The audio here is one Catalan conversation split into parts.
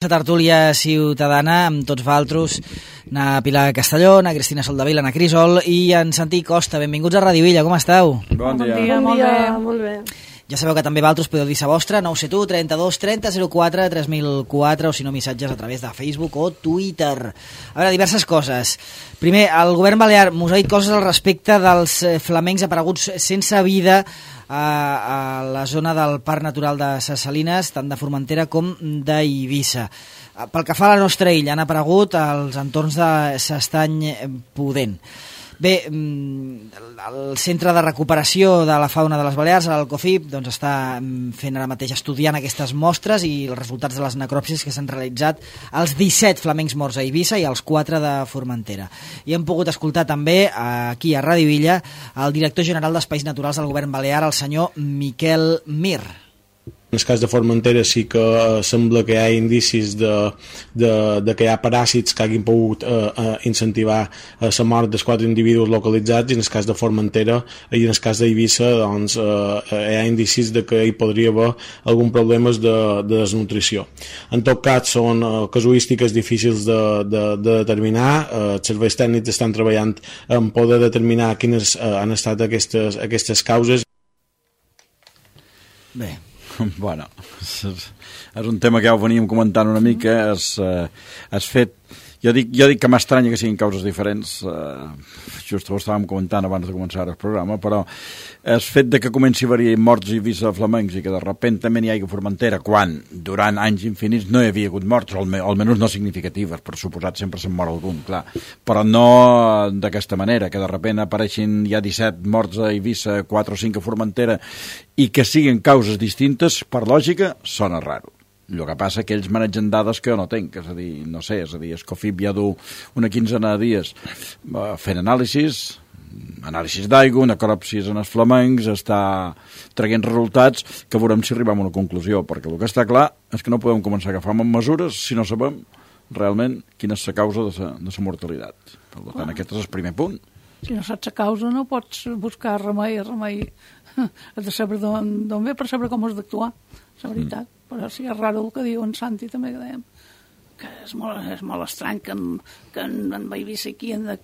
La tertúlia ciutadana amb tots vosaltres, na Pilar Castelló, na Cristina Soldevila, na Crisol i en Santi Costa. Benvinguts a Radio Illa, com esteu? Bon dia, molt bé. Ja sabeu que també vosaltres podeu dir sa vostra, 971 32 30 04 3004 o si no missatges a través de Facebook o Twitter. A veure, diverses coses. Primer, el govern balear mos ha dit coses al respecte dels flamencs apareguts sense vida a la zona del Parc Natural de Ses Salines, tant de Formentera com d'Eivissa. Pel que fa a la nostra illa, han aparegut als entorns de s'Estany Pudent. Bé, el Centre de Recuperació de la Fauna de les Balears, l'Alcofip, doncs està fent ara mateix, estudiant aquestes mostres i els resultats de les necròpsies que s'han realitzat als 17 flamencs morts a Eivissa i als 4 de Formentera. I hem pogut escoltar també aquí a Radio Illa el director general d'Espais Naturals del Govern Balear, el senyor Miquel Mir. En el cas de Formentera sí que sembla que hi ha indicis de que hi ha paràsits que hagin pogut incentivar la mort dels 4 individus localitzats, i en el cas de Formentera i en el cas d'Eivissa doncs, hi ha indicis de que hi podria haver algun problema de desnutrició. En tot cas són casuístiques difícils de determinar. Els serveis tècnics estan treballant en poder determinar quines han estat aquestes causes. Bé, bueno, és un tema que ja ho veníem comentant una mica. Has fet, jo dic que m'estranya que siguin causes diferents, just ho estàvem comentant abans de començar el programa, però el fet de que comenci a haver morts i Eivissa flamencs i que de sobte també n'hi hagi a Formentera, quan durant anys infinits no hi havia hagut morts, almenys no significatives, per suposat sempre se'n mor algun, clar, però no d'aquesta manera, que de sobte apareixin ja 17 morts a Eivissa, 4 o 5 a Formentera, i que siguin causes distintes, per lògica, sona raro. El que passa que ells manegen dades que jo no tenc, és a dir, no sé, el COFIP ja du una quinzena de dies fent anàlisis d'aigua, necròpsies en els flamencs, està traient resultats que veurem si arribem a una conclusió, perquè el que està clar és que no podem començar a agafar mesures si no sabem realment quina és la causa de la mortalitat. Per tant, aquest és el primer punt. Si no saps la causa no pots buscar remei. Has de saber d'on ve per saber com has d'actuar, és la veritat. Però sí, és raro el que diu en Santi també, que dèiem, que és molt estrany que en Eivissa aquí, en la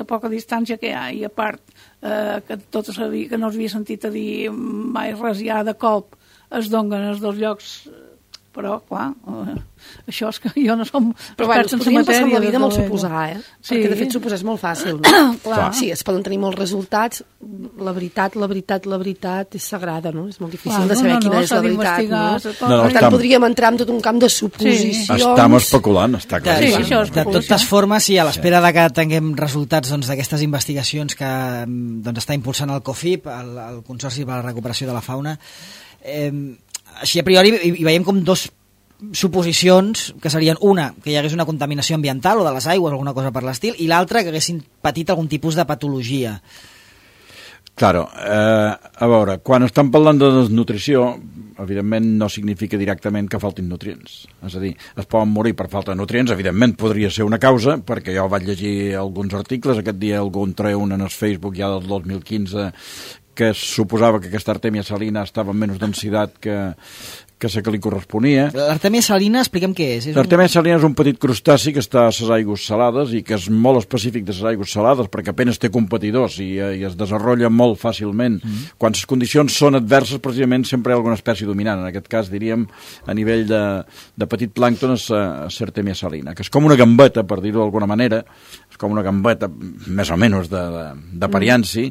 poca distància que hi ha, i a part que no s'havia sentit a dir mai res ja de cop, es donen els dos llocs. Però, clar, això és que jo no som experts en la matèria. Però la vida molt suposar, Sí. Perquè, de fet, suposar és molt fàcil, no? Clar. Sí, es poden tenir molts resultats. La veritat és sagrada, no? És molt difícil de saber quina és la veritat, no? Per tant, podríem entrar en tot un camp de suposicions. Estem especulant, està clar. Sí, això és de totes formes, sí, a l'espera de que tinguem resultats d'aquestes investigacions que està impulsant el COFIP, el Consorci per a la Recuperació de la Fauna, així a priori hi veiem com dos suposicions, que serien una, que hi hagués una contaminació ambiental o de les aigües o alguna cosa per l'estil, i l'altra, que haguessin patit algun tipus de patologia. Claro, a veure, quan estem parlant de desnutrició, evidentment no significa directament que faltin nutrients. És a dir, es poden morir per falta de nutrients, evidentment podria ser una causa, perquè jo vaig llegir alguns articles, aquest dia algú en treu un en el Facebook ja del 2015, que suposava que aquesta Artemia salina estava en menys densitat que la que li corresponia. L'Artemia salina, expliquem què és. L'Artemia salina és un petit crustaci que està a les aigües salades i que és molt específic de les aigües salades perquè apenas té competidors i es desenvolupa molt fàcilment. Quan les condicions són adverses, precisament sempre hi ha alguna espècie dominant. En aquest cas, diríem, a nivell de petit plàncton és l'Artemia salina, que és com una gambeta, per dir-ho d'alguna manera, és com una gambeta més o menys de parianci,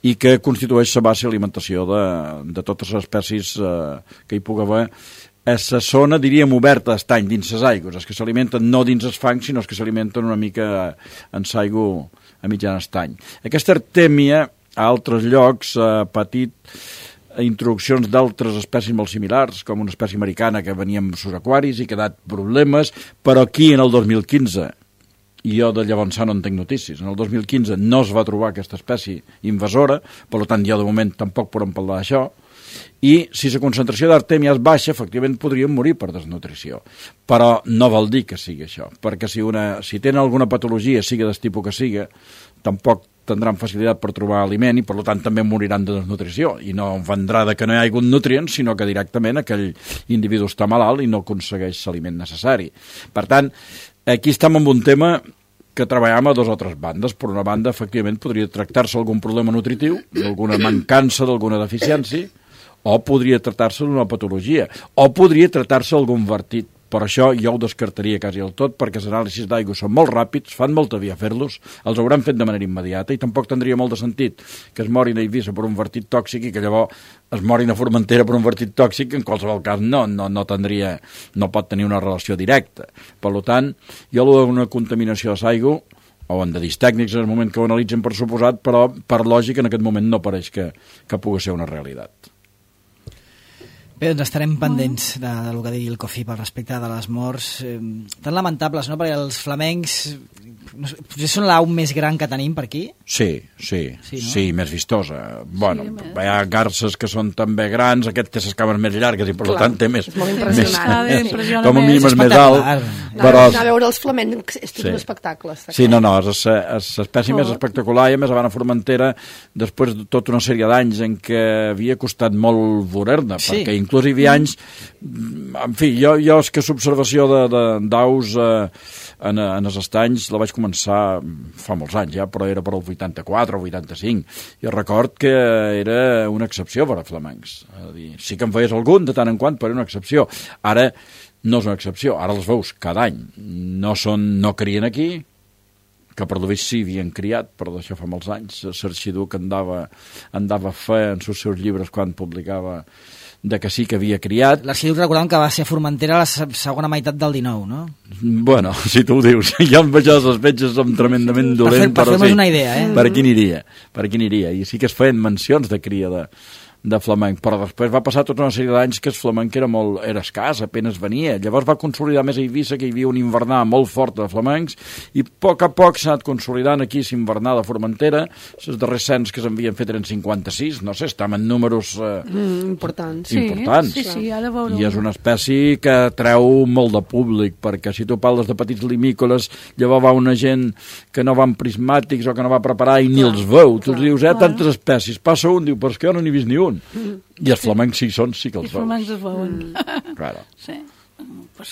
i que constitueix la base d'alimentació de totes les espècies que hi pugui haver a la zona, diríem, oberta d'estany dins les aigües, els que s'alimenten no dins els fangs, sinó els que s'alimenten una mica en l'aigua a mitjan estany. Aquesta artèmia a altres llocs ha patit introduccions d'altres espècies molt similars, com una espècie americana que venia amb els aquaris i que ha dat problemes, però aquí en el 2015, i jo de llavors no en tinc notícies, en el 2015 no es va trobar aquesta espècie invasora, per tant jo de moment tampoc podem parlar d'això, i si la concentració d'artèmia és baixa, efectivament podrien morir per desnutrició. Però no vol dir que sigui això, perquè si tenen alguna patologia, sigui del tipus que sigui, tampoc tindran facilitat per trobar aliment i per tant també moriran de desnutrició i no vendrà de que no hi ha hagut nutrients, sinó que directament aquell individu està malalt i no aconsegueix l'aliment necessari. Per tant, aquí estem amb un tema que treballem a 2 o 3 bandes. Per una banda, efectivament, podria tractar-se algun problema nutritiu, d'alguna mancança, d'alguna deficiència, o podria tractar-se d'una patologia, o podria tractar-se d'algun vertit. Per això jo ho descartaria quasi del tot, perquè els anàlisis d'aigua són molt ràpids, fan molta via fer-los, els hauran fet de manera immediata i tampoc tindria molt de sentit que es morin a Eivissa per un vertit tòxic i que llavors es morin a Formentera per un vertit tòxic, que en qualsevol cas no pot tenir una relació directa. Per tant, jo d'una contaminació de l'aigua, o en de distècnics en el moment que ho analitzen per suposat, però per lògica en aquest moment no pareix que pugui ser una realitat. Bé, doncs estarem pendents del que digui el COFIP al respecte de les morts tan lamentables, no? Perquè els flamencs potser són l'au més gran que tenim per aquí? Sí, més vistosa. Bueno, hi ha garces que són també grans, aquest té les cames més llargues i per tant té més... És molt impressionant. Com a mínim és més alt. Anar a veure els flamencs és tot un espectacle. Sí, no, és l'espècie més espectacular i a més a Formentera, després de tota una sèrie d'anys en què havia costat molt veure-ne, perquè inclús hi havia anys... En fi, jo és que l'observació d'aus en els estanys la vaig començar fa molts anys ja, però era per al 84 o 85. Jo record que era una excepció per a flamencs. Sí que en feies algun de tant en quant, però era una excepció. Ara no és una excepció, ara els veus cada any. No crien aquí, que per l'Ovís sí havien criat, però d'això fa molts anys. L'arxiduc que andava a fer en els seus llibres quan publicava de que sí que havia criat. L'arxiduc recordem que va ser a Formentera a la segona meitat del 19, no? Bueno, si tu ho dius, ja em veig les veig som tremendament dolent, per fer-nos una idea, Per aquí aniria. I sí que es feien mencions de cria de flamenc, però després va passar tota una sèrie d'anys que el flamenc era escàs, apenas venia. Llavors va consolidar més a Eivissa, que hi havia un invernar molt fort de flamencs, i a poc s'ha anat consolidant aquí l'invernar de Formentera. Els darrers cens que s'havien fet eren 56, no sé, estaven en números importants. Sí, ara veureu. I és una espècie que treu molt de públic, perquè si tu parles de petits limícoles, llavors va una gent que no va amb prismàtics o que no va preparar i ni els veu. Tu dius, tantes espècies, passa un, diu, però és que jo no n'he vist ni un. I els flamencs sí que els veus. Els flamencs es veuen. Claro. Sí. Per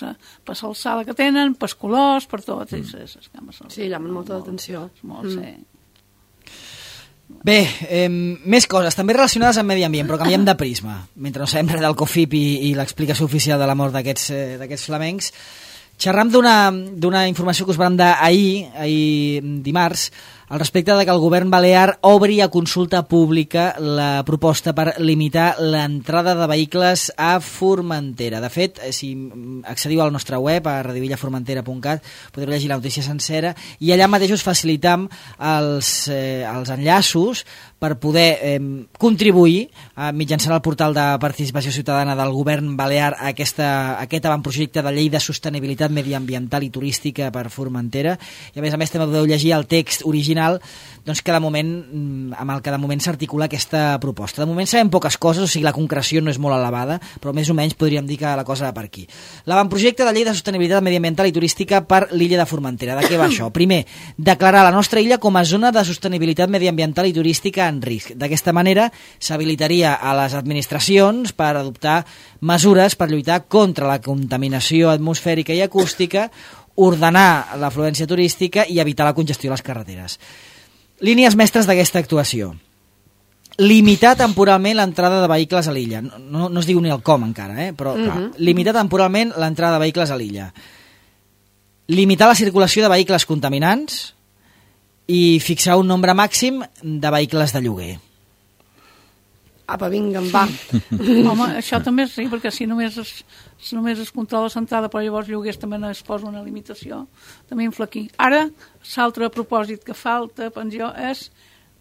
l'alçada que tenen, per colors, per tot. Sí, llamen molta atenció. Bé, més coses, també relacionades amb medi ambient, però canviem de prisma. Mentre no sabem res del COFIP i l'explicació oficial de la mort d'aquests flamencs, xerram d'una informació que us vam dar ahir dimarts, al respecte de que el govern balear obri a consulta pública la proposta per limitar l'entrada de vehicles a Formentera. De fet, si accediu al nostre web, a radiovillaformentera.cat, podreu llegir la notícia sencera, i allà mateix us facilitam els enllaços per poder contribuir mitjançant el portal de participació ciutadana del govern balear a aquest avantprojecte de llei de sostenibilitat mediambiental i turística per Formentera, i a més també podeu llegir el text original doncs que amb el que de moment s'articula aquesta proposta. De moment sabem poques coses, o sigui, la concreció no és molt elevada, però més o menys podríem dir que la cosa va per aquí. L'avantprojecte de llei de sostenibilitat mediambiental i turística per l'illa de Formentera. De què va això? Primer, declarar la nostra illa com a zona de sostenibilitat mediambiental i turística en risc. D'aquesta manera s'habilitaria a les administracions per adoptar mesures per lluitar contra la contaminació atmosfèrica i acústica, ordenar l'afluència turística i evitar la congestió a les carreteres. Línies mestres d'aquesta actuació. Limitar temporalment l'entrada de vehicles a l'illa. No es diu ni el com encara, però limitar temporalment l'entrada de vehicles a l'illa. Limitar la circulació de vehicles contaminants i fixar un nombre màxim de vehicles de lloguer. Apa, vinga, va. Home, això també sí, perquè si només es controla l'entrada, però llavors lloguers també no es posa una limitació, també infla aquí. Ara, l'altre propòsit que falta, penso, és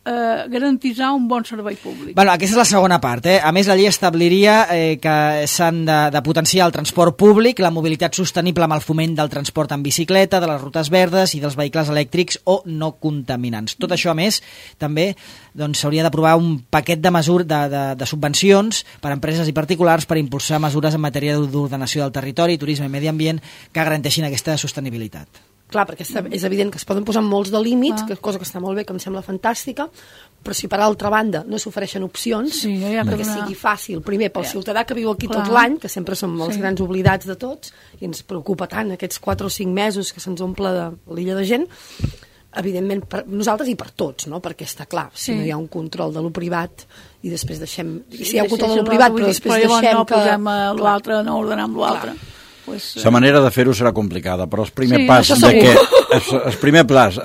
garantitzar un bon servei públic. Bueno, aquesta és la segona part. A més, la llei establiria que s'han de potenciar el transport públic, la mobilitat sostenible amb el foment del transport en bicicleta, de les rutes verdes i dels vehicles elèctrics o no contaminants. Tot això, a més, també s'hauria d'aprovar un paquet de mesures de subvencions per a empreses i particulars per impulsar mesures en matèria d'ordenació del territori, turisme i medi ambient que garanteixin aquesta sostenibilitat. Clar, perquè és evident que es poden posar molts de límits, cosa que està molt bé, que em sembla fantàstica, però si per altra banda no s'ofereixen opcions perquè sigui fàcil, primer pel ciutadà que viu aquí tot l'any, que sempre som els grans oblidats de tots, i ens preocupa tant aquests 4 o 5 mesos que se'ns omple de l'illa de gent, evidentment per nosaltres i per tots, no? Perquè està clar, si no hi ha un control de lo privat i després deixem... Si hi ha un control de lo privat, però després deixem que... no posem l'altre, no ordenem l'altre. La manera de fer-ho serà complicada, però el primer pas el primer pas,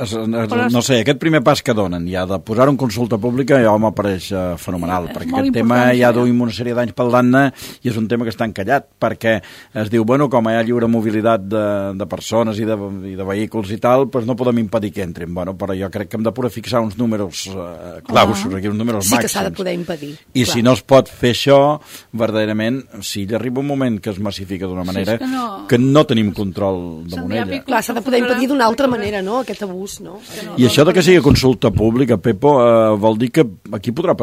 no sé, aquest primer pas que donen ja de posar-ho en consulta pública ja m'apareix fenomenal, perquè aquest tema ja duim una sèrie d'anys parlant-ne i és un tema que està encallat, perquè es diu, bueno, com hi ha lliure mobilitat de persones i de vehicles i tal, doncs no podem impedir que entrin. Bueno, però jo crec que hem de poder fixar uns números claus, uns números màxims. Sí que s'ha de poder impedir. I si no es pot fer això, verdaderament, si hi arriba un moment que es massifica d'una manera que no tenim control damunt ella. Clar, s'ha de poder impedir d'una altra manera, no?, aquest abús, no? I això de que sigui consulta pública, Pepo, vol dir que aquí podrà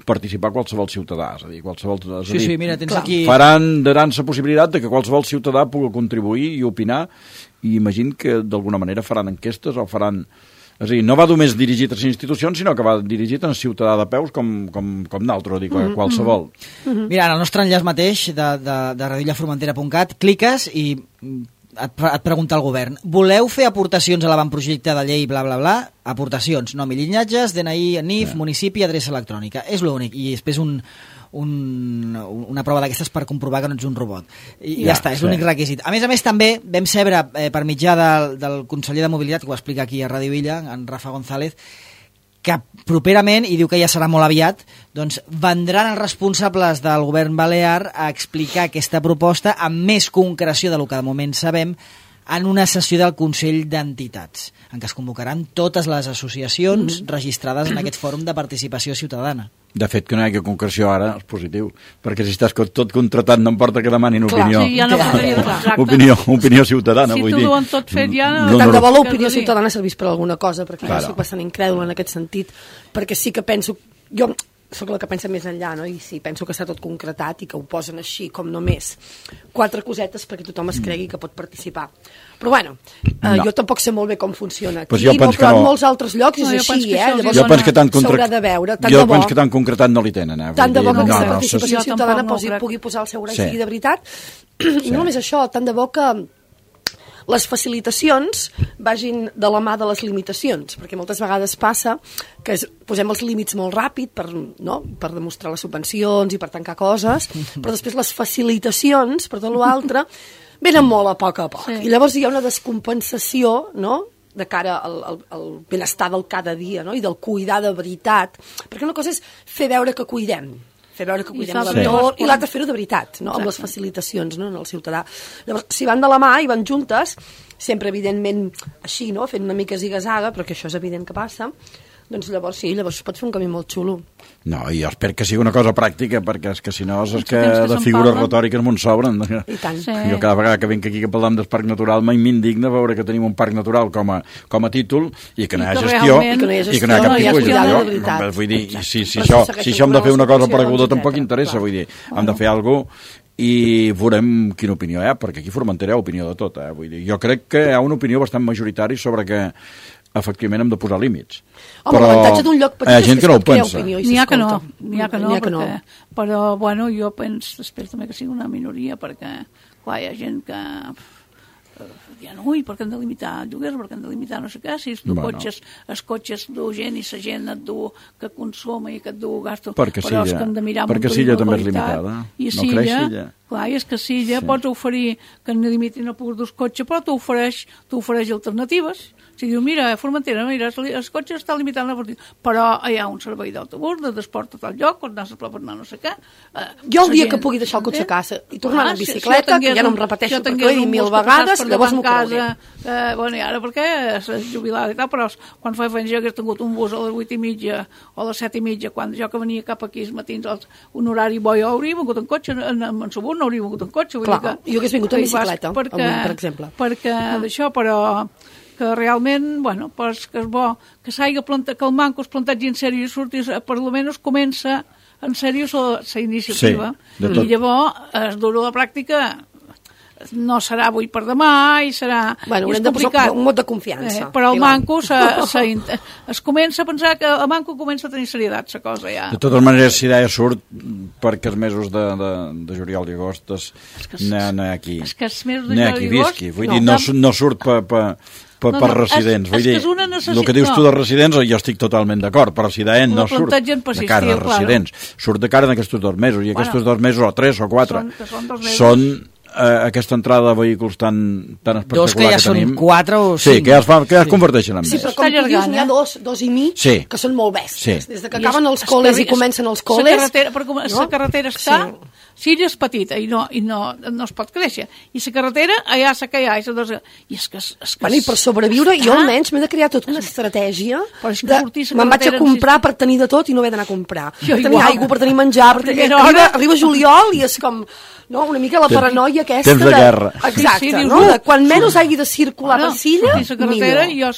participar qualsevol ciutadà, és a dir, qualsevol... Sí, mira, tens aquí... Daran la possibilitat de que qualsevol ciutadà pugui contribuir i opinar, i imagino que d'alguna manera faran enquestes o faran... És a dir, no va només dirigit a les institucions, sinó que va dirigit a un ciutadà de peus com d'altre, dic, qualsevol. Mira, en el nostre enllaç mateix de radillaformentera.cat cliques i et pregunta el govern: voleu fer aportacions a l'avantprojecte de llei bla bla bla? Aportacions, nom i llinatges, DNI, NIF, municipi, adreça electrònica. És l'únic. I després una prova d'aquestes per comprovar que no ets un robot. I ja està, és l'únic requisit. A més, també vam saber per mitjà del conseller de Mobilitat, que ho explica aquí a Ràdio Illa, en Rafa González, que properament, i diu que ja serà molt aviat, doncs vendran els responsables del govern balear a explicar aquesta proposta amb més concreció del que de moment sabem en una sessió del Consell d'Entitats, en què es convocaran totes les associacions registrades en aquest fòrum de participació ciutadana. De fet, que no hi hagi concreció ara és positiu, perquè si estàs tot contratat no importa que demanin opinió. Sí, ja no opinió ciutadana, vull dir. Si t'ho diuen tot fet ja... Tant de bo l'opinió ciutadana servís per alguna cosa, perquè jo soc bastant incrèdula en aquest sentit, perquè sí que penso... Jo sóc la que pensa més enllà, no? I sí, penso que està tot concretat i que ho posen així, com només 4 cosetes perquè tothom es cregui que pot participar. Però bueno, jo tampoc sé molt bé com funciona aquí, però en molts altres llocs és així, llavors s'haurà de veure. Jo penso que tan concretat no li tenen. Tant de bo que aquesta participació ciutadana pugui posar el seu gra sigui de veritat, i no només això, tant de bo que les facilitacions vagin de la mà de les limitacions, perquè moltes vegades passa que posem els límits molt ràpid per demostrar les subvencions i per tancar coses, però després les facilitacions, per tot l'altre, venen molt a poc. I llavors hi ha una descompensació, no?, de cara al benestar del cada dia, no?, i del cuidar de veritat, perquè una cosa és fer veure que cuidem l'entorn, i l'altre fer-ho de veritat, no? Amb les facilitacions, no?, en el ciutadà. Llavors, si van de la mà i van juntes, sempre evidentment així, no?, fent una mica ziga-zaga, però que això és evident que passa, doncs llavors es pot fer un camí molt xulo. No, i jo espero que sigui una cosa pràctica, perquè és que si no és que de figures retòriques m'on sobren. I tant. Jo cada vegada que vinc aquí que parlem del parc natural m'indigna veure que tenim un parc natural com a títol i que no hi ha gestió i que no hi ha cap tipus de gestió. Vull dir, si això hem de fer una cosa pareguda tampoc interessa, vull dir, hem de fer alguna cosa i veurem quina opinió hi ha, perquè aquí a Formentera hi ha opinió de tot. Vull dir, jo crec que hi ha una opinió bastant majoritària sobre que efectivament hem de posar límits. Home, l'avantatge d'un lloc petit és que es pot crear opinió i s'escolta. N'hi ha que no. Però, bueno, jo penso, espero també que sigui una minoria, perquè, clar, hi ha gent que diuen, ui, per què hem de limitar el lloguer, per què hem de limitar no sé què, si els cotxes du gent i la gent et du que consuma i que et du gasto, perquè Silla també és limitada, no creix Silla. Clar, i és que Silla pots oferir que no limitin el pur dels cotxes, però t'ofereix alternatives. Si diu, mira, a Formentera, mira, els cotxes estan limitant però hi ha un servei d'autobús, de transport a tal lloc, on anar a per anar no sé què. Jo el dia que pugui deixar el cotxe a casa i tornar en bicicleta, que ja no em repeteixo perquè ho he dit 1000 vegades, llavors m'ho creuré. Bueno, i ara perquè és jubilat i tal, però quan fa anys jo hagués tingut un bus a les 8:30 o a les 7:30, quan jo que venia cap aquí els matins un horari bo, jo hauria vingut en cotxe, en Subur no hauria vingut en cotxe. Clar, jo hagués vingut en bicicleta, avui, per exemple. Perquè d'això, però que realment, bueno, pues que és bo que s'hagi plantat, que el manco es plantatgi en sèrio i surti, per almenys comença en sèrio la iniciativa. Sí, i llavors es dura la pràctica no serà avui per demà i serà... Bueno, haurem de posar un mot de confiança. Però el manco es comença a pensar que el manco comença a tenir serietat, la cosa ja. De totes maneres, si d'ahir surt perquè els mesos de juliol i agost no hi ha aquí. És que els mesos de juliol i agost... Vull dir, no surt per residents. Vull dir, el que dius tu de residents jo estic totalment d'acord, però si d'ahir no surt de cara de residents, surt de cara en aquests 2 mesos, i aquests 2 mesos, o 3 o 4, són aquesta entrada de vehicles tan espectacular que tenim. 2 que ja són 4 o 5. Sí, que ja es converteixen en més. Sí, però com tu dius, n'hi ha 2 i mig que són molt bèsties. Des que acaben els col·les i comencen els col·les... La carretera està... Si ella és petita i no es pot créixer. I la carretera, allà la que hi ha. I és que... I per sobreviure, jo almenys m'he de crear tota una estratègia. Me'n vaig a comprar per tenir de tot i no haver d'anar a comprar. Per tenir aigua, per tenir menjar... Arriba juliol i és com... No, una mica la paranoia aquesta... Temps de guerra. Exacte, no? Quan menys hagi de circular per Silla, millor. I jo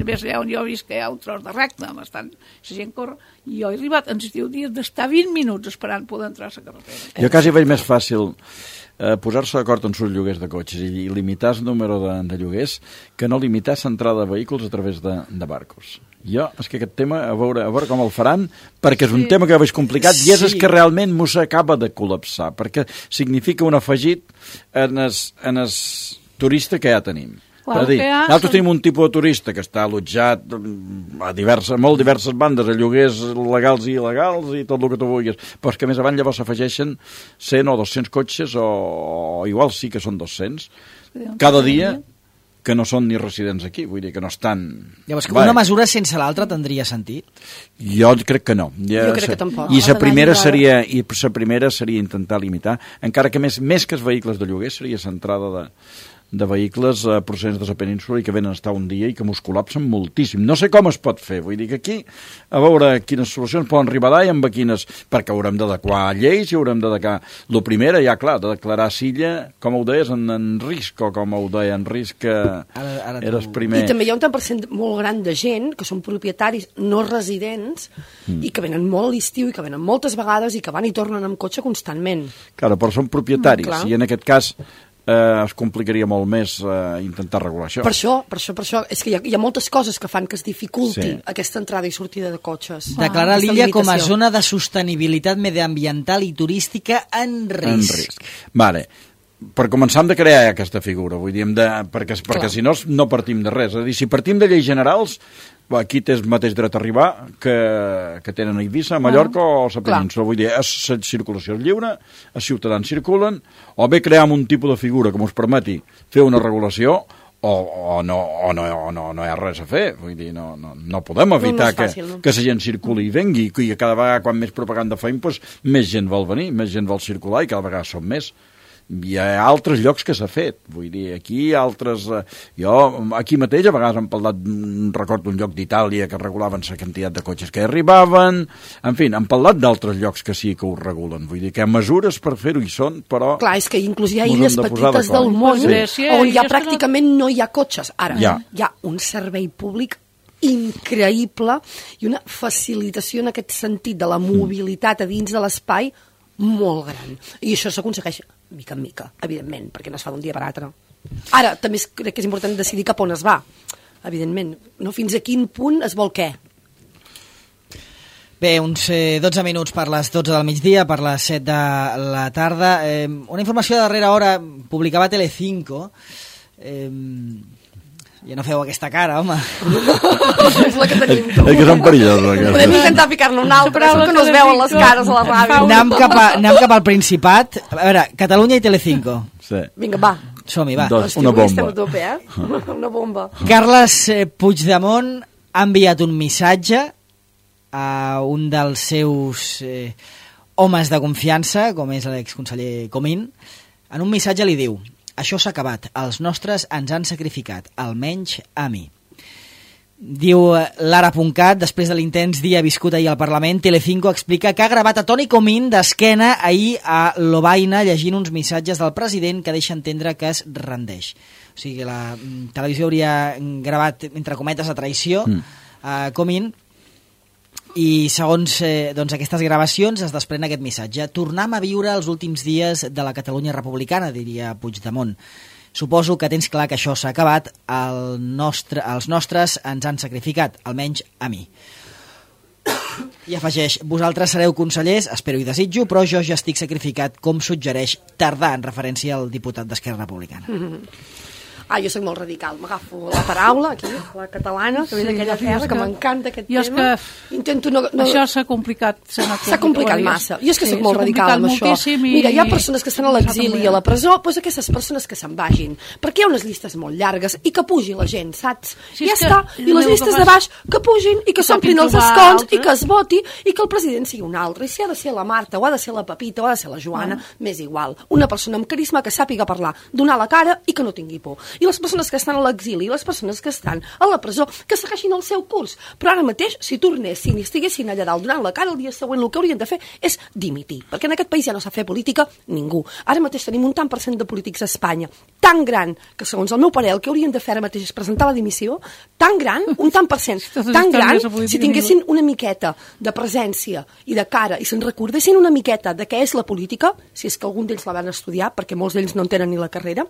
ves allà on jo he vist que hi ha un tros de recte, bastant, la gent corre, i jo he arribat, ens diu dies d'estar 20 minuts esperant poder entrar a la carretera. Jo quasi veig més fàcil posar-se d'acord en sus lloguers de cotxes i limitar el número de lloguers que no limitar l'entrada de vehicles a través de barcos. Jo, és que aquest tema, a veure com el faran, perquè és un tema que veig complicat i és que realment m'ho s'acaba de col·lapsar, perquè significa un afegit en el turista que ja tenim. És a dir, nosaltres tenim un tipus de turista que està allotjat a molt diverses bandes, a lloguers legals i il·legals i tot el que tu vulguis, però és que més avant llavors s'afegeixen 100 o 200 cotxes o igual sí que són 200 cada dia que no són ni residents aquí, vull dir que no estan... Llavors, que una mesura sense l'altra tindria sentit? Jo crec que no. Jo crec que tampoc. I la primera seria intentar limitar, encara que més que els vehicles de lloguer seria l'entrada de vehicles procedents de la península i que venen a estar un dia i que mos col·lapsen moltíssim. No sé com es pot fer, vull dir que aquí a veure quines solucions poden arribar i amb quines, perquè haurem d'adequar lleis i haurem d'adequar. Lo primera, ja clar, de declarar Silla, com ho deies, en risc, o com ho deia en risc, que era el primer... I també hi ha un tant per cent molt gran de gent que són propietaris no residents i que venen molt a l'estiu i que venen moltes vegades i que van i tornen amb cotxe constantment. Clar, però són propietaris i en aquest cas es complicaria molt més intentar regular això. Per això, és que hi ha moltes coses que fan que es dificulti aquesta entrada i sortida de cotxes. Declarar l'illa com a zona de sostenibilitat mediambiental i turística en risc. Vale. Per començar hem de crear aquesta figura, vull dir, perquè si no, no partim de res. És a dir, si partim de lleis generals, aquí tens mateix dret a arribar que tenen a Eivissa, a Mallorca o a la península. Vull dir, la circulació és lliure, els ciutadans circulen, o bé creem un tipus de figura que ens permeti fer una regulació, o no hi ha res a fer. Vull dir, no podem evitar que la gent circuli i vengui, i cada vegada quan més propaganda fem, més gent vol venir, més gent vol circular i cada vegada som més. Hi ha altres llocs que s'ha fet, vull dir, aquí altres... Jo, aquí mateix, a vegades hem parlat, recordo un lloc d'Itàlia que regulaven la quantitat de cotxes que arribaven, en fi, hem parlat d'altres llocs que sí que ho regulen, vull dir, que hi ha mesures per fer-ho i són, però... Clar, és que inclús hi ha illes petites del món on ja pràcticament no hi ha cotxes. Ara, hi ha un servei públic increïble i una facilitació en aquest sentit de la mobilitat a dins de l'espai molt gran. I això s'aconsegueix mica en mica, evidentment, perquè no es fa d'un dia per l'altre. Ara, també crec que és important decidir cap on es va, evidentment. No fins a quin punt es vol què. Bé, uns 12 minuts per les 12 del migdia, per les 7 de la tarda. Una informació de darrera hora publicava Telecinco. Ja no feu aquesta cara, home. És la que tenim tu. És que són perillosos. Podem intentar ficar-ne una altra, que no es veuen les cares a la ràdio. Anem cap al Principat. A veure, Catalunya i Telecinco. Sí. Vinga, va. Som-hi, va. Una bomba. Estem a tope, Una bomba. Carles Puigdemont ha enviat un missatge a un dels seus homes de confiança, com és l'exconseller Comín. En un missatge li diu: això s'ha acabat, els nostres ens han sacrificat, almenys a mi. Diu l'Ara.cat, després de l'intens dia viscut ahir al Parlament, Telecinco explica que ha gravat a Toni Comín d'esquena ahir a Lovaina llegint uns missatges del president que deixa entendre que es rendeix. O sigui que la televisió hauria gravat, entre cometes, a traïció a Comín, I segons aquestes gravacions es desprèn aquest missatge. Tornem a viure els últims dies de la Catalunya republicana, diria Puigdemont. Suposo que tens clar que això s'ha acabat, els nostres ens han sacrificat, almenys a mi. I afegeix, vosaltres sereu consellers, espero i desitjo, però jo ja estic sacrificat, com suggereix Tardà, en referència al diputat d'Esquerra Republicana. Jo soc molt radical, m'agafo la paraula aquí, la catalana, que ve d'aquella terra, que m'encanta aquest tema. Intento no... Això s'ha complicat. S'ha complicat massa. Jo és que soc molt radical amb això. Mira, hi ha persones que estan a l'exili i a la presó, doncs aquestes persones que se'n vagin, perquè hi ha unes llistes molt llargues i que pugi la gent, saps? Ja està. I les llistes de baix que pugin i que s'omplin els escons i que es voti i que el president sigui un altre. I si ha de ser la Marta, o ha de ser la Pepita, o ha de ser la Joana, m'és igual. Una persona amb carisma que sàpiga parlar, donar la cara i que no tingui por. I les persones que estan a l'exili i les persones que estan a la presó que segueixin el seu curs. Però ara mateix, si tornessin i estiguessin allà dalt donant la cara, el dia següent el que haurien de fer és dimitir, perquè en aquest país ja no sap fer política ningú. Ara mateix tenim un tant per cent de polítics a Espanya tan gran que, segons el meu parer, el que haurien de fer ara mateix és presentar la dimissió, tan gran, un tant per cent, tan gran, si tinguessin una miqueta de presència i de cara i se'n recordessin una miqueta de què és la política, si és que algun d'ells la van estudiar, perquè molts d'ells no en tenen ni la carrera,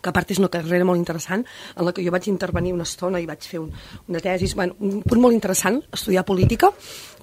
que a part és una carrera molt interessant, en la que jo vaig intervenir una estona i vaig fer una tesi, un punt molt interessant, estudiar política,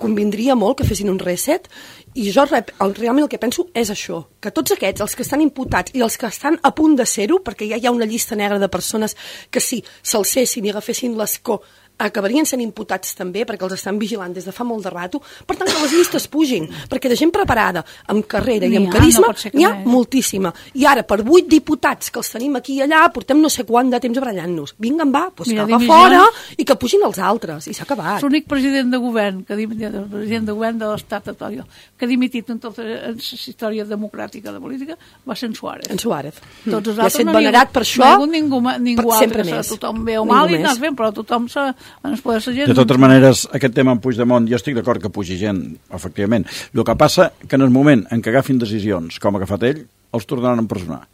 convindria molt que fessin un reset, i jo realment el que penso és això, que tots aquests, els que estan imputats i els que estan a punt de ser-ho, perquè ja hi ha una llista negra de persones que si s'alcessin i agafessin l'escó acabarien sent imputats també, perquè els estan vigilant des de fa molt de rato, per tant que les llistes pugin, perquè de gent preparada, amb carrera i amb carisma, n'hi ha moltíssima. I ara, per 8 diputats que els tenim aquí i allà, portem no sé quant de temps barallant-nos. Vinga, va, doncs cap a fora i que pugin els altres, i s'ha acabat. L'únic president de govern, president de govern de l'estat actual, que ha dimitit en tota la història democràtica de política, va ser en Suárez. En Suárez. Tots els altres altres no venerat per això, ningú altre, tothom veu mal i nas ben, però tothom de totes maneres, aquest tema amb Puigdemont, jo estic d'acord que pugi gent, efectivament. El que passa que en el moment en què agafin decisions com ha agafat ell, els tornaran a empresonar.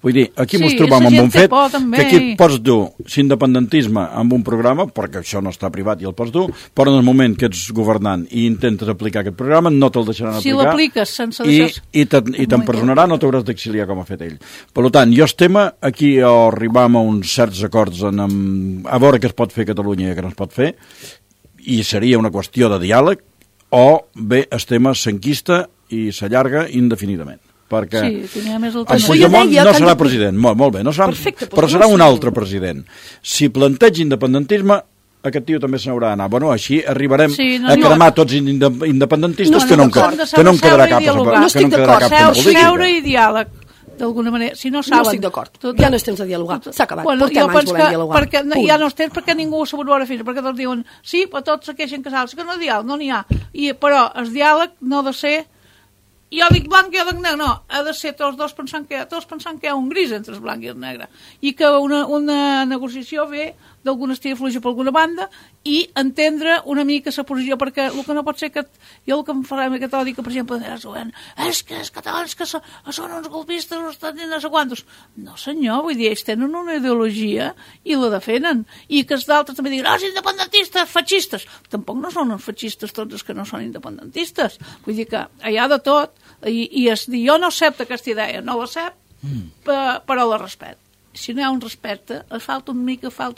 Vull dir, aquí ens trobam amb un fet que aquí pots dur l'independentisme amb un programa, perquè això no està privat i el pots dur, però en el moment que ets governant i intentes aplicar aquest programa, no te'l deixaran aplicar. Si l'apliques sense i t'empresonarà, no t'hauràs d'exiliar com ha fet ell. Per tant, jo estem aquí arribam a uns certs acords a veure què es pot fer a Catalunya i què no es pot fer, i seria una qüestió de diàleg, o bé estem s'enquista i s'allarga indefinidament. Perquè en Puigdemont no serà president, molt bé, no serà, però serà un altre president. Si planteja independentisme, aquest tio també se n'haurà d'anar. Bueno, així arribarem a cremar tots independentistes que no en quedarà cap polític. Seure i diàleg, d'alguna manera. Si no saben... No estic d'acord. Ja no és temps de dialogar. S'ha acabat. Portem anys volent dialogar. Ja no és temps perquè ningú ho ha sabut veure fins, perquè tots diuen, sí, però tots se queixen casals, que no diàleg, no n'hi ha. Però el diàleg no ha de ser jo dic blanc i jo dic negre, no, ha de ser tots dos pensant que hi ha un gris entre el blanc i el negre, i que una negociació ve d'alguna estira fluixa per alguna banda i entendre una mica la posició, perquè el que no pot ser que jo el que em farà aquest odi que per exemple és que els catalans que són uns golpistes o estan dient no sé quantos. No senyor, vull dir, ells tenen una ideologia i la defenen, i que els d'altres també diuen, els independentistes, feixistes. Tampoc no són els feixistes tots els que no són independentistes, vull dir que hi ha de tot, i es diu, jo no accepto aquesta idea, no l'accepto, però la respecto. Si no hi ha un respecte, falta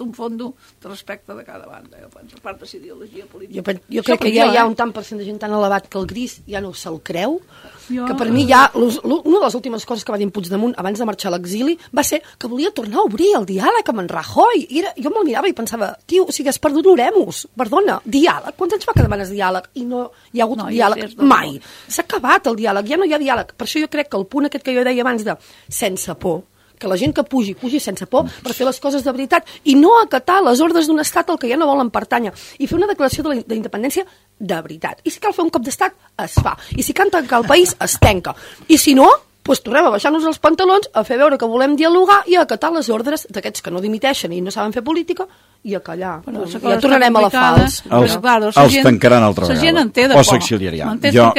un fondo de respecte de cada banda, jo penso, a part de la ideologia política. Jo crec que ja hi ha un tant per cent de gent tan elevat que el gris ja no se'l creu, que per mi ja, una de les últimes coses que va dir en Puigdemont abans de marxar a l'exili va ser que volia tornar a obrir el diàleg amb en Rajoy. Jo me'l mirava i pensava, tio, o sigui, has perdut l'oremus, perdona, diàleg, quants anys fa que demanes diàleg? I no hi ha hagut diàleg mai. S'ha acabat el diàleg, ja no hi ha diàleg. Per això jo crec que el punt aquest que jo deia abans de sense por, que la gent que pugi sense por per fer les coses de veritat i no acatar les ordres d'un estat al que ja no volen pertànyer i fer una declaració d'independència de veritat. I si cal fer un cop d'estat, es fa. I si cal tancar el país, es tanca. I si no, doncs tornem a baixar-nos els pantalons, a fer veure que volem dialogar i a acatar les ordres d'aquests que no dimiteixen i no saben fer política i a callar. Ja tornarem a la fals. Els tancaran altra vegada. O s'exiliaran. Jo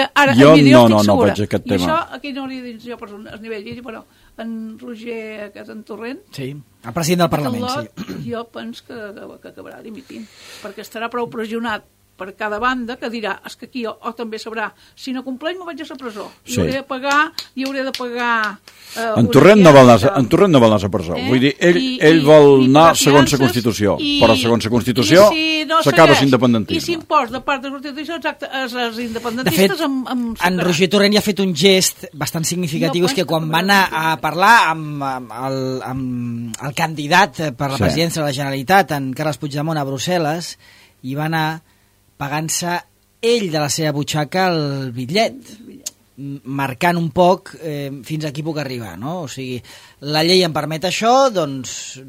no vaig a aquest tema. I això aquí no li dic jo per un nivell, però en Roger, aquest en Torrent, sí, el president del Parlament, sí. Jo penso que acabarà dimitint, perquè estarà prou pressionat per cada banda, que dirà, és que aquí o també sabrà, si no compleix me vaig a la presó, i Sí. hauré de pagar En Torrent no vol anar a la presó. Vull dir, ell vol anar segons la Constitució, però segons la Constitució s'acaba l'independentisme. I s'impost de part de la Constitució, exacte, els De independentistes fet, en Roger Torrent ja ha fet un gest bastant significatiu, és que quan va anar a parlar amb el candidat per la presidència de la Generalitat, en Carles Puigdemont, a Brussel·les, i va anar pagant-se ell de la seva butxaca el bitllet, marcant un poc fins a qui puc arribar, no? O sigui, la llei em permet això, doncs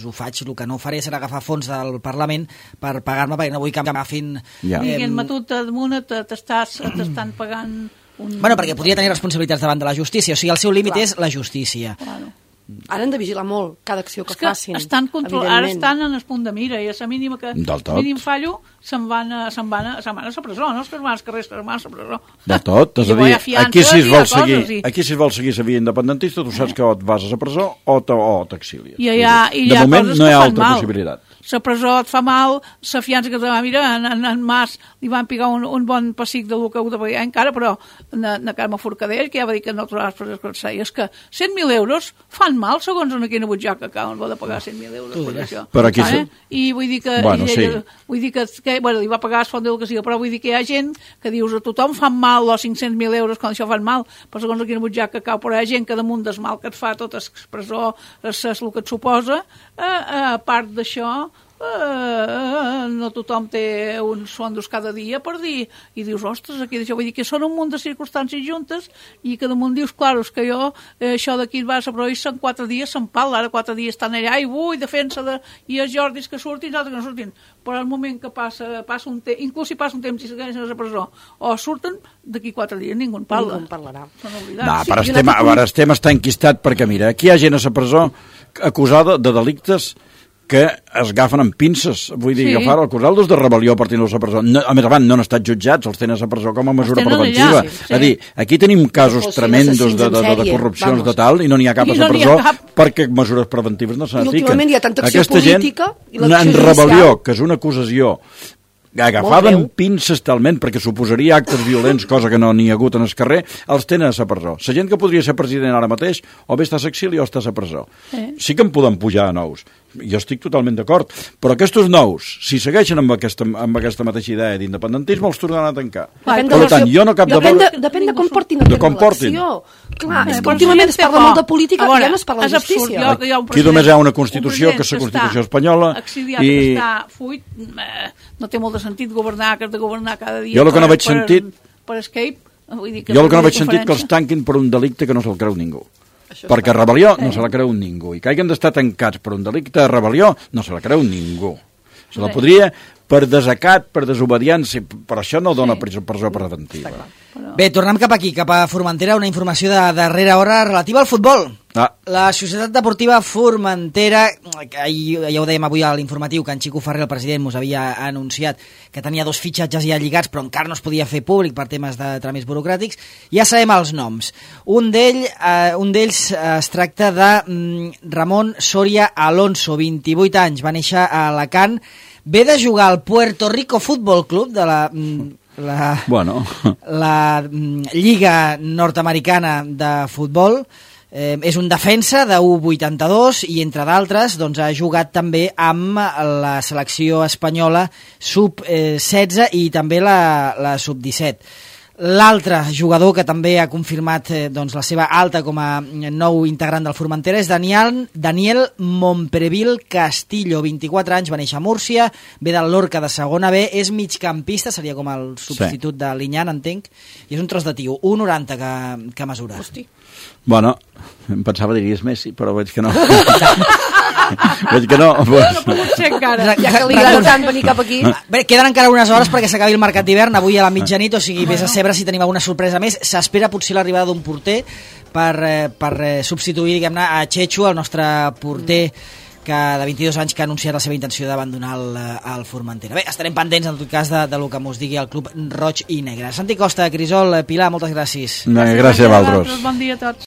ho faig. El que no faré serà agafar fons del Parlament per pagar-me, perquè no vull que m'agafin... Diguem-me tu, damunt t'estan pagant... Bueno, perquè podria tenir responsabilitats davant de la justícia, o sigui, el seu límit és la justícia. Claro. Ara han de vigilar molt cada acció que facin. Ara estan en el punt de mira, i a la mínima que mínim fallo se'n van a la presó, no? És que es van als carrers, se'n van a la presó. De tot, és a dir, aquí si es vol seguir la via independentista, tu saps que o et vas a la presó o t'exilies. De moment no hi ha altra possibilitat. La presó et fa mal, la fiança que te va mirar, en Mas li van picar un bon pessic de lo que ho de pagar encara, però na Carme Forcadell, que ja va dir que no trobaràs presó que és que 100.000 euros fan mal segons en quina butxaca que on va de pagar 100.000 euros per això. Però aquí i vull dir que li va pagar el fons d'educació, però vull dir que hi ha gent que dius a tothom fan mal els 500.000 euros quan això fan mal, però segons quina butxaca cau, però hi ha gent que damunt del mal que et fa tot expressor és el que et suposa, a part d'això no tothom té uns fondos cada dia per dir, i dius, ostres, aquí d'això, vull dir que són un munt de circumstàncies juntes i que damunt dius, clar, és que jo això d'aquí va a la província en 4 dies se'n pal, ara 4 dies estan allà i defensa i els Jordis que surtin, altres que no surtin, però al moment que passa un temps, inclús si passa un temps i segueixen a la presó o surten, d'aquí 4 dies ningú en parla. Ningú en parlarà. No, però estem està enquistat perquè, mira, aquí hi ha gent a la presó acusada de delictes que es agafen amb pinces, vull dir, acusar-los de rebel·lió per tenir-los a presó. A més, no han estat jutjats, els tenen a presó com a mesura preventiva. És a dir, aquí tenim casos tremendos de corrupcions de tal i no n'hi ha cap a la presó perquè mesures preventives no se n'apliquen. I últimament hi ha tanta acció política i l'acció judicial. En rebel·lió, que és una acusació agafada amb pinces talment, perquè suposaria actes violents, cosa que no n'hi ha hagut en el carrer, els tenen a la presó. La gent que podria ser president ara mateix, o bé està a l'exili o està a la presó. Sí que en podem pujar a nous. Jo estic totalment d'acord, però aquests nous, si segueixen amb aquesta mateixa idea d'independentisme, els tornaran a tancar. Per tant, jo no cap de... Depèn de com portin l'acció. Clar, és que últimament es parla molt de política i ja no es parla de justícia. Aquí només hi ha una Constitució, que és la Constitució espanyola, i... no té molt de sentit governar, que has de governar cada dia jo el que no veig sentit per Escape. Jo el que no veig sentit que els tanquin per un delicte que no se'l creu ningú. Perquè rebel·lió no se la creu ningú. I que hagin d'estar tancats per un delicte de rebel·lió no se la creu ningú. Se la podria per desacat, per desobediència, però això no dona presó preventiva. Bé, tornem cap aquí, cap a Formentera, una informació de darrera hora relativa al futbol. La Societat Deportiva Formentera, ja ho dèiem avui a l'informatiu, que en Xico Ferrer, el president, us havia anunciat que tenia 2 fitxatges ja lligats, però encara no es podia fer públic per temes de tràmits burocràtics. Ja sabem els noms. Un d'ells es tracta de Ramon Soria Alonso, 28 anys, va néixer a Alacant, ve de jugar al Puerto Rico Futbol Club de la Lliga Nord-Americana de Futbol. És un defensa de U82 i, entre d'altres, doncs, ha jugat també amb la selecció espanyola sub-16 i també la sub-17. L'altre jugador que també ha confirmat doncs, la seva alta com a nou integrant del Formentera és Daniel Mompreville Castillo, 24 anys, va néixer a Múrcia, ve del Lorca de segona B, és migcampista, seria com el substitut de Liñán, entenc, i és un tros de tio, 1,90 que mesura. Hosti. Bueno, em pensava diries Messi, però veig que no. Veig que no. No pot ser encara. Ja que li agrada tant venir cap aquí. Bé, queden encara unes hores perquè s'acabi el mercat d'hivern, avui a la mitjanit, o sigui, vés a saber si tenim alguna sorpresa més. S'espera potser l'arribada d'un porter per substituir, diguem-ne, a Chechu, el nostre porter de 22 anys que ha anunciat la seva intenció d'abandonar el Formentera. Bé, estarem pendents en tot cas de lo que mos digui el club roig i negre. Santi Costa, Crisol, Pilar, moltes gràcies. Gràcies a vosaltres. Bon dia a tots.